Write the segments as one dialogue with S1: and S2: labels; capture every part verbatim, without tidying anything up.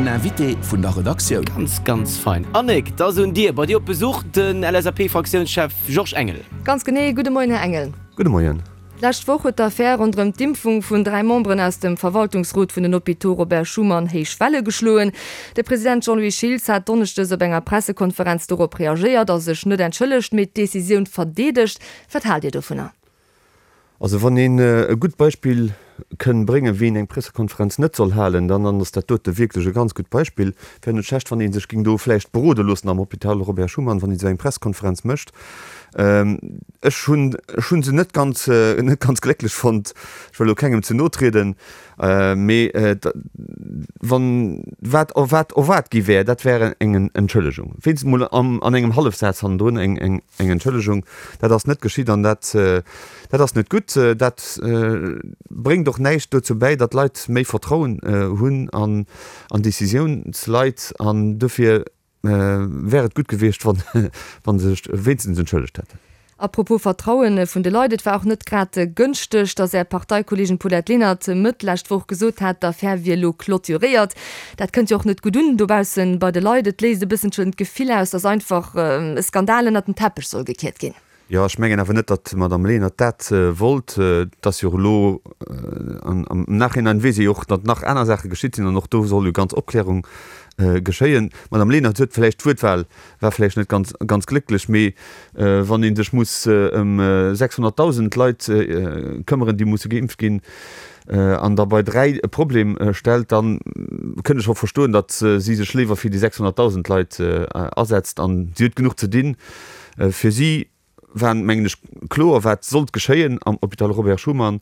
S1: Den Invité vun der Redaktioun.
S2: Ganz, ganz fein. Annick, et ass un dir. Bei dir op Besuch den L S A P-Fraktiounschef Georges Engel.
S3: Ganz genee. Gudde Moien, Här Engel.
S4: Gudde Moien.
S3: D'lescht Woch huet d'Affär ronderëm d'Impfung vun dräi Memberen aus dem Verwaltungsrot vun den Hôpitaux Robert Schuman héich Welle geschloen. De President Jean-Louis Schiltz hat donneschdes op enger Pressekonferenz dorop reagéiert a sech net entschëllegt, mee d'Decisioun verdeedegt. Wat haalt Dir dovunner?
S4: Also wann een e gutt Beispill kënn bréngen, wéi een eng Pressekonferenz net soll halen, dann dann ass dat dote wierklech e ganz gutt Beispill. Wär net schlecht, wann ee sech géing do vläicht berode loossen am Hôpital Robert Schuman, wann een esou eng Pressekonferenz mécht. Ech hunn, ech hu se net ganz, net ganz glécklech fonnt. Ech wëll elo kengem ze no trieden, mee wann wat erwaart, erwaart gi wär, dat wär eng Entschëllegung, wéinstens mol an engem Hallefsaz hannendrun eng, eng, eng Entschëllegung. Dat ass net geschitt an dat, dat ass net gutt. Dat bréngt och näischt dozou bäi, datt d'Leit méi Vertrauen hunn an, an Décisiounsleit, an dofir wär et gutt gewiescht, wann, wann se sech wéinstens entschëllegt hätten.
S3: Apropos Vertrauen vun de Leit, et war och net grad gënschteg, datt Är Parteikolleegin Paulette Lenert Mëtt lescht Woch gesot hat, d'Affär wier elo clôturéiert. Dat kënnt jo och net gutt un dobaussen bei de Leit. Et léist e bësselchen d'Gefill aus, datt einfach e Skandal ënnert den Teppech soll gekiert ginn.
S4: Jo, ech mengen awer net, datt d'Madame Lenert dat wollt. Et ass jo och elo, am Nachhinein weess ee jo och, datt nach aner Saache geschitt sinn an och do soll jo ganz Opklärung geschéien. D'Madame Lenert huet vläicht, d'Wuertwahl war vläicht net ganz, ganz glécklech, mee wann ee sech muss ëm sechshonnertdausend Leit këmmeren, déi musse geimpft ginn, an da bei dräi e Problem stellt, da kënnt ech och verstoen, datt si sech léiwer fir déi sechshonnertdausend Leit asetzt. An si huet genuch ze dinn. Fir si war, mengen ech, kloer, wat sollt geschéien am Hôpital Robert Schuman.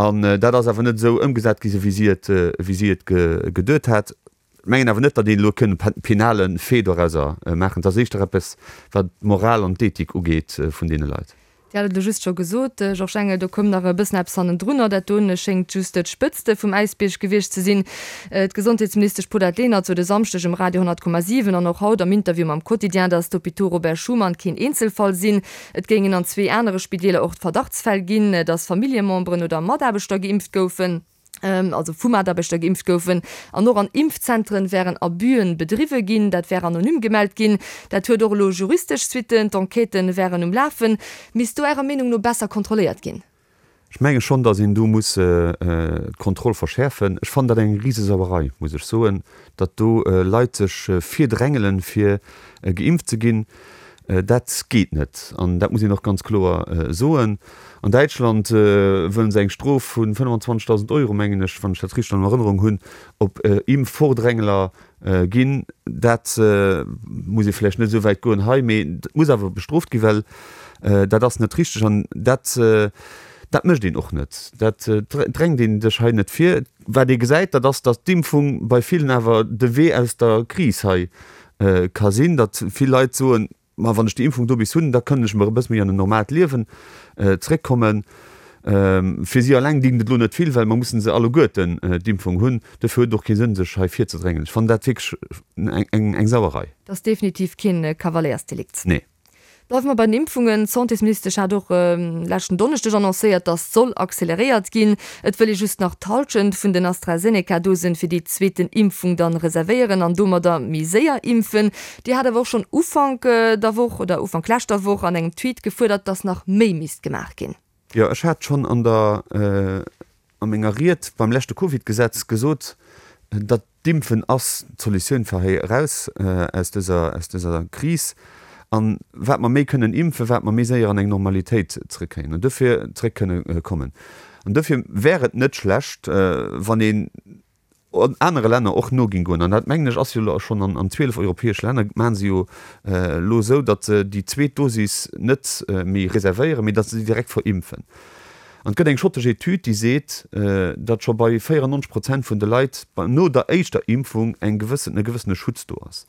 S4: An dat ass awer net esou ëmgesat gi, sou wéi si et, wéi si et geduet hat. Ech mengen awer net, datt een elo kënn e penale Fait dorauser maachen. Et ass éischter eppes, wat d'Moral an d'Ethik ugeet vun deene Leit.
S3: Dir hat et elo just scho gesot, Georges Engel, do koum nach e bëssen eppes hannendrunner. Dat doen schéngt just d'Spëtzte vum Äisbierg gewiescht ze sinn. D'Gesondheetsministesch Paulette Lenert sot e Samschdeg um Radio honnert Komma siwen an och haut am Interview mam Quotidien, datt d'Hôpitaux Robert Schuman keen Eenzelfall sinn. Et géingen an zwee anere Spideeler och Verdachtsfäll ginn, datt Familljememberen oder Mataarbechter geimpft goufen. Also vu Mataarbechter geimpft goufen, an och an Impfzentren wären Abüen bedriwwe ginn. Dat wär anonym gemellt ginn. Dat huet och elo juristesch Suitten, d'Enquêten wären um Lafen. Misst do Ärer Meenung no besser kontrolléiert ginn?
S4: Ech menge schonn, datt een do muss d'Kontroll verschäerfen. Ech fannen dat eng Risesauerei, muss ech soen, datt do Leit sech virdrängelen, fir geimpft ze ginn. Dat geet net an dat muss een och ganz kloer soen. An Däitschland wëllen se eng Strof vu fënnefenzwanzegdausend Euro, mengen ech, wann ech dat richteg an Erënnerung hunn, op Impfvordrängeler ginn. Dat muss ee vläicht net esou wäit goen hei, mee et muss awer bestrooft ginn, well dat ass net richteg an dat dat mécht een och net. Dat drängt ee sech hei net vir. Wat ee gesäit, dat ass, datt d'Impfung bei villen awer de Wee aus der Kris hei ka sinn, datt vill Leit soen, Ma wann ech déi Impfung do bis hunn, da kënnen ech mer e bësse méi an en normaalt Liewen zréckkommen. Fir si alleng dingt et elo net vill, well mer mussen se alleguerten d'Impfung hunn. Dofir huet et och kee Sënn, sech hei virzedrängen. Ech fannen dat wierklech eng Sauerei.
S3: Dat ass definitiv keen Kavaléiersdelikt.
S4: Nee.
S3: Bleiwe mer bei den Impfungen. D'Santésministesch hat och leschten Donneschdeg annoncéiert, datt soll acceleréiert ginn. Et wëll ee just nach d'Hallschent vun den AstraZeneca-Dosen fir déi zweeten Impfung dann reservéieren an domadder méi séier impfen. Dir hat awer och schonn Ufank der Woch oder Ufank leschter Woch an engem Tweet gefuerdert, datt nach méi misst gemaach ginn.
S4: Jo, ech hat schonn an der a menger Ried beim leschte Covid-Gesetz gesot, datt D'Impfen ass d'Solutioun fir hei eraus aus dëser aus dëser Kris. An wat mer méi kënnen impfen, wat mer méi séier an eng Normalitéit zrëckkréien an dofir zrëck kënne kommen. An dofir wär et net schlecht, wann een anere Länner och no géing goen. An dat, mengen ech, ass jo elo schonn an an zwielef europäesche Länner maache se jo elo esou, datt se déi zweet Dosis net méi reservéieren, mee datt se déi direkt verimpfen. An et gëtt eng schottesch Etüd, déi seet, datt scho bei véierannonzeg Prozent vun de Leit no der éischter Impfung eng gewëssen, e gewëssene Schutz do ass.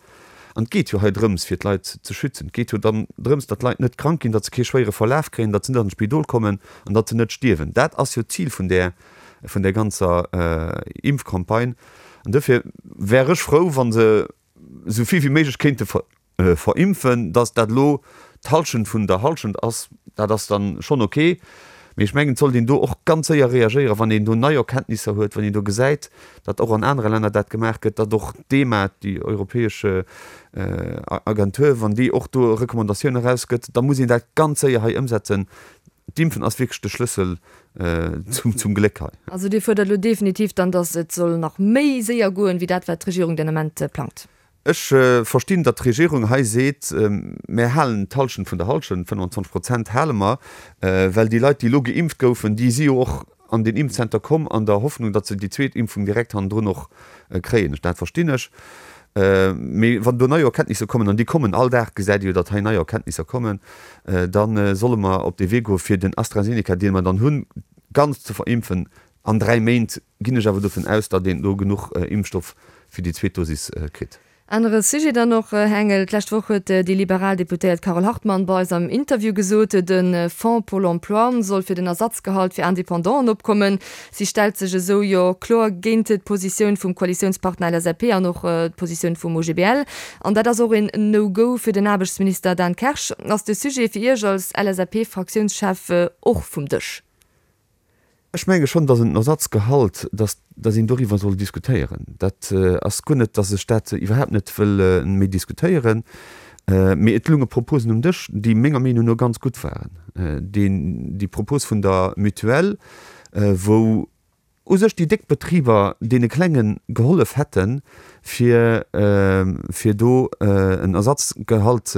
S4: An et geet jo hei drëms, fir d'Leit ze schützen. Et geet jo dann drëms, datt d'Leit net krank ginn, datt se kee schwéiere Verlaf kréien, datt se net an d'Spidol kommen an datt se net stierwen. Dat ass jo d'Zil vun där, vun där ganzer Impfcampagne. An dofir wär ech frou, wa se esou vill wéi méiglech kéinte verimpfen. Datt dat elo d'Hallschent vun der Hallschent ass, dat ass dann schonn ok. Mee ech mengen, et sollt een do och ganz séier reagéieren, wann een do nei Erkenntnisser huet, wann een do gesäit, datt och an anere Länner dat gemaach gëtt, datt och d'EMA, déi europäesch Agentur, wann déi och do Recommandatioune erausgëtt, da muss een dat ganz séier hei ëmsetzen. D'Impfen ass wierklech de Schlëssel zum Gléck hei.
S3: Also Dir fuerdert elo definitiv dann, datt et soll nach méi séier goen, wéi dat, wat d'Regierung den Ament plangt?
S4: Ech verstinn, datt d'Regierung hei seet, Mär halen d'Hallschent vun der Hallschent, fënnwandzwanzeg Prozent hale mer, well déi Leit, déi elo geimpft goufen, déi si jo och an den Impfzenter komm an der Hoffnung, datt se déi zweet Impfung direkt hannendrun och kréien. Dat verstinn ech. Mee wann do nei Erkenntnisser kommen, an déi kommen all Dag, gesäit ee jo, datt hei nei Erkenntnisser kommen, da solle mer op dee Wee goe fir den AstraZeneca, dee mer dann hunn, ganz ze verimpfen. An dräi Méint ginn ech awer dovun aus, datt een do genuch Impfstoff fir déi zweet Dosis kritt.
S3: Anere Sujet dann och, Här Engel, D'lescht Woch huet déi liberal Deputéiert Carole Hartmann bei eis am Interview gesot, de Fonds pour l'emploi soll fir den Ersatzgehalt fir Independanten opkommen. Si stellt sech esou jo kloer géint d'Positioun vum Koalitiounspartner L S A P an och d'Positioun vum O G B L. An dat ass och een No-Go fir den Aarbechtsminister Dan Kersch. Ass de Sujet fir Iech als L S A P-Fraktiounschef och vum Dësch?
S4: Ech menge schonn, datt en Ersatzgehalt, datt datt een doriwwer soll diskutéieren. Dat ass guer net, datt ech dat iwwerhaapt net wëll méi diskutéieren. Mee et lounge Proposen um Dësch, déi menger Meenung no ganz gutt waren. Deen, déi Propos vun der Mutuelle, wou u sech déi déck Betriber deene Klenge gehollef hätten, fir fir do en Ersatzgehalt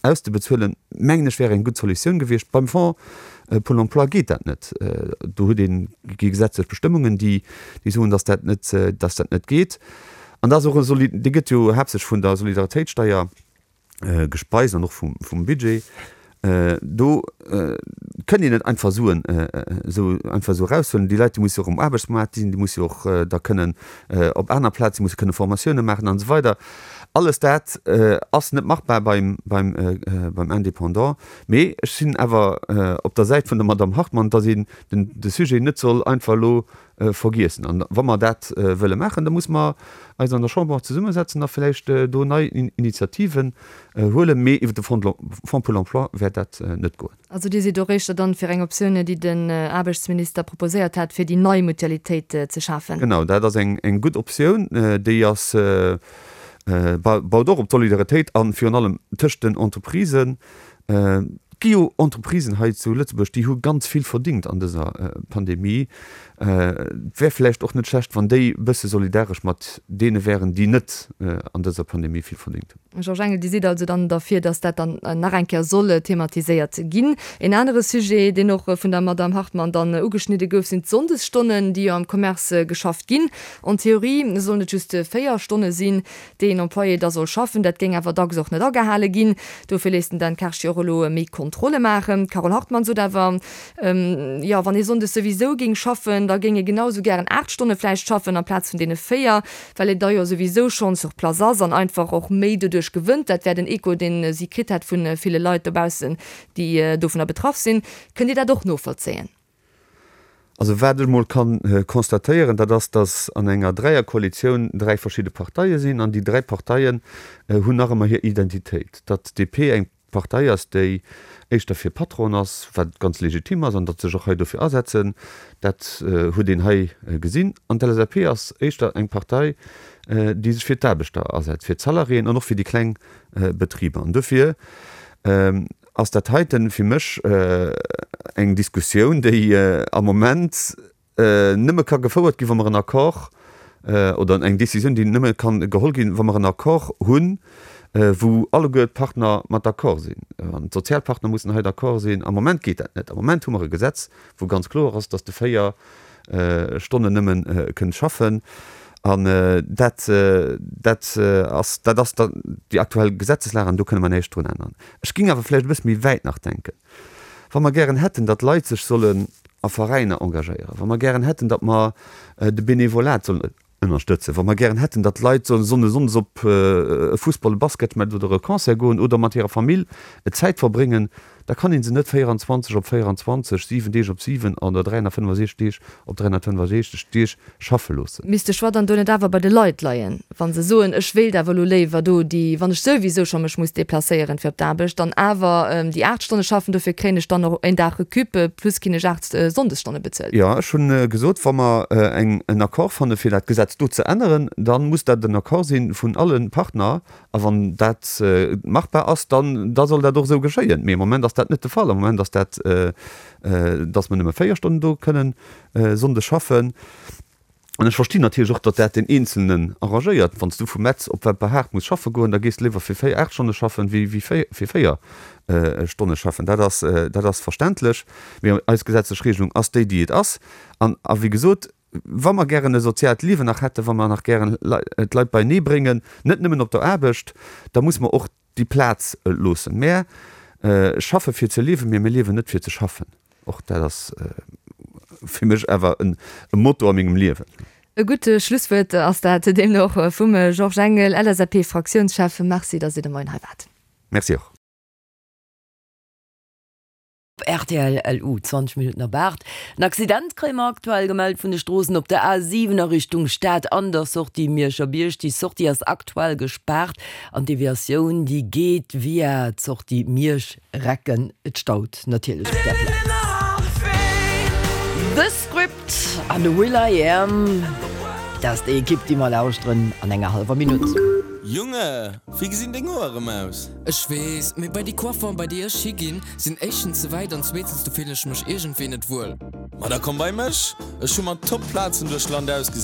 S4: auszebezuelen, mengen ech, wär eng gutt Solutioun gewiescht. Beim Fonds pour l'emploi geet dat net. Do huet een, gi gesetzlech Bestëmmungen, déi déi soen, dass dat net, dass dat net geet. An dat ass och e Soli-, dee gëtt jo haaptsächlech vun der Solidaritéitssteier gespeist an och vum vum Budget. Do kënnt een net einfach Suen esou einfach esou eraushuelen. Déi Leit, déi musse jo och um Aarbechtsmaart sinn, déi musse jo och da kënnen op aner Plaze, déi musse kënne Formatioune maachen an esou weider. Alles dat ass net machbar beim beim beim Indépendant. Mee ech sinn awer op der Säit vun der Madamm Hartmann, datt een den de Sujet net soll einfach elo vergiessen. An wa mer dat wëlle maachen, da muss mer eis an der Chamber och zesummesetzen a vläicht do nei Initiativen huelen. Mee iwwer de Fonds pour l'emploi wäert dat net goen.
S3: Also Dir sidd och éischter dann fir eng Optioun, déi den Aarbechtsminister proposéiert hat, fir déi nei Mutualitéit ze schafen?
S4: Genau, dat ass eng gutt Optioun. Déi ass, baut och op d'Solidaritéit an, virun allem tëscht den Entreprisen. Et gi jo Entreprisen hei zu Lëtzebuerg, déi hu ganz vill verdingt an dëser Pandemie. Et wär vläicht och net schlecht, wann déi e bësse solidaresch mat deene wären, déi net an dëser Pandemie vill verdingt hunn.
S3: Georges Engel, Dir sidd also dann derfir, datt dat dann nach eng Kéier soll thematiséiert ginn. En anere Sujet, deen och vun der Madamm Hartmann dann ugeschnidde gouf, sinn d'Sonndesstonnen, déi jo am Commerce geschafft ginn. En théorie sollen et just véier Stonne sinn, déi een Employé da soll schaffen. Dat géing awer dacks och net agehale ginn. Dofir léisst den Dan Kersch jo och elo méi Kontrolle maachen. D'Carole Hartmann sot awer, jo, wann ee sonndes souwisou géing schaffen, da géing ee genau esou gären aacht Stonne vläicht schaffen amplaz vun deene véier, well een da jo souwisou schonn sur place ass an einfach och méi doduerch gewënnt. Dat wär den Echo, dee si kritt hätt vu ville Leit dobaussen, déi dovunner betraff sinn. Kënnt Dir dat och novollzéien?
S4: Also wat ech mol kann constatéieren, dat ass, datt an enger Dräierkoalitioun dräi verschidde Parteie sinn an déi dräi Parteien hunn nach ëmmer hir Identitéit. Datt d'D P eng Partei ass, déi éischter fir Patronen ass, wat ganz legitim ass, an datt sech och hei dofir asetzen, dat huet een hei gesinn. An d'L S A P ass éischter eng Partei, déi sech fir d'Aarbechter asetzt, fir d'Salariéen an och fir déi kleng Betriber. An dofir ass dat heiten fir mech eng Diskussioun, déi am Moment nëmme ka gefouert ginn, wa mer en Accord, oder eng Décisioun, déi nëmme ka geholl ginn, wa mer en Accord hunn, wou alleguer d'Partner mat d'accord sinn. An d'Sozialpartner mussen hei d'accord sinn. Am Moment geet dat net. Am Moment hu mer e Gesetz, wou ganz kloer ass, dass de véier Stonnen nëmme kënnt schaffen. An dat, dat ass, dat ass dann déi aktuell Gesetzeslag an do kënne mer näischt drun änneren. Ech géing awer vläicht e bësse méi wäit nach denken. Wa mer gären hätten, datt Leit sech sollen a Veräiner engagéieren, wa mer gären hätten, datt mer de Benevolat sollen ënnerstëtzen, wa mer gären hätten, datt Leit sollen sonne sonndes op e Fussball-, e Basketmatch oder e Concert goen oder mat hirer Famill Zäit verbréngen, da kann ee se net véieranzwanzeg op véieranzwanzeg, siwen Deeg op siwen oder dräihonnertfënnefasechzeg Deeg op dräihonnertfënnefasechzeg Deeg schaffe loossen.
S3: Misst de Choix dann do net awer bei de Leit leien, wa se soen, ech wéilt awer elo léiwer do déi, wann ech souwisou scho mech muss deplacéieren fir op d'Aarbecht, dann awer déi aacht Stonne schaffen, dofir kréien ech dann och een Dag Recup plus kinn ech aacht Sonndesstonne bezuelt?
S4: Jo, ech hu gesot, wa mer en Accord fanne fir dat Gesetz do ze änneren, da muss dat en Accord si vun alle Partner. A wann dat machbar ass, dann da soll dat och esou geschéien. Mee am Moment ass dat net de Fall. Am Moment ass dat, dass mer nëmme véier Stonnen do kënnen sonndes schaffen. An ech verstinn natierlech och, datt dat deen Eenzelnen arrangéiert. Wann s du vu Metz op Wemperhaart muss schaffe goen, da gees de léiwer fir véier, aacht Stonne schaffen, wéi fir véier Stonne schaffen. Dat ass, dat ass verständlech. Mee eis gesetzlech Regelung ass déi, déi et ass. An, a wéi gesot, Wa mer gären e soziaalt Liewen nach hätten, wa mer nach gären d'Leit beienee bréngen, net nëmmen op der Aarbecht, da muss mer och déi Plaz loossen. Mär schaffe fir ze liewen, mee mir liewen net fir ze schaffen. Och dat ass fir mech awer e Motto a mengem Liewen.
S3: E gutt Schlusswuert ass dat deemno och vum Georges Engel, L S A P-Fraktiounschef. Merci, datt Dir de Moien hei waart.
S4: Merci och.
S5: Op rtl L U, zwanzeg Minutten op aacht. En Accident kréie mer aktuell gemellt vun de Stroossen op der A siwen a Richtung Stad an der Sortie Mierscher Bierg. Déi Sortie ass aktuell gespaart an d'Deviatioun déi geet via d'Sortie Miersch-Recken. Et staut natierlech op där Plaz. The Script an Will I Am, dat ass déi Ekipp déi mer lauschteren an enger hallwer Minutt.
S6: Junge, wéi gesinn deng Hoer erëm aus?
S7: Ech weess, mee bei déi Coiffeuren bei déi ech higinn, sinn éischtens ze wäit an zweetens do fillen ech mech iergendwéi net wuel.
S6: Ma da komm bei mech, ech hu mer top Plazen duerch Land ausgesicht.